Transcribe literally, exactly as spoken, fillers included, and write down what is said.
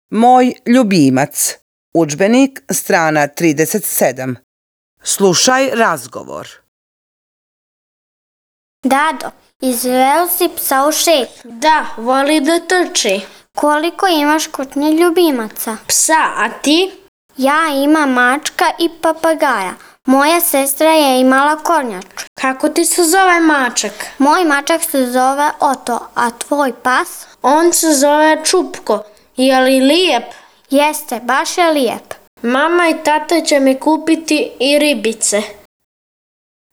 Moj ljubimac. Udžbenik, strana trideset sedam. Slušaj razgovor. Dado, izveo si psa u šetnju. Da, voli da trči. Koliko imaš kućnih ljubimaca? Psa, a ti? Ja imam mačka i papagaja. Moja sestra je imala kornjaču. Kako ti se zove mačak? Moj mačak se zove Oto, a tvoj pas? On se zove Čupko. Je li lijep? Jeste, baš je lijep. Mama i tata će mi kupiti i ribice.